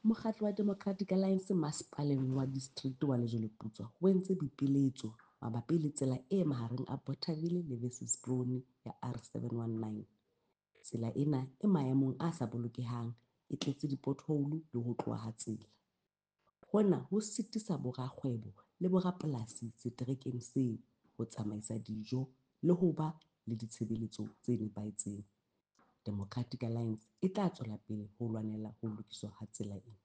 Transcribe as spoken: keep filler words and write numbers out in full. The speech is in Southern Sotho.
Mokgatlo wa Democratic Alliance Masepaleng wa Districte wa Lejweleputswa o entse boipiletso mabapi le tsela e mahareng a Bothaville le Wesselsbron ya R seven one nine. Tsela ena e maemong a sa bolokehang, e tletse di-pothole le ho tloha ha tsela. Hona ho sitisa borakgwebo le borapolasi seterekeng seo ho tsamaisa dijo le ho ba le ditshebeletso tse nepahetseng. Democratic Alliance e tla tswela pele ho lwanela ho lokiswa ha tsela ena.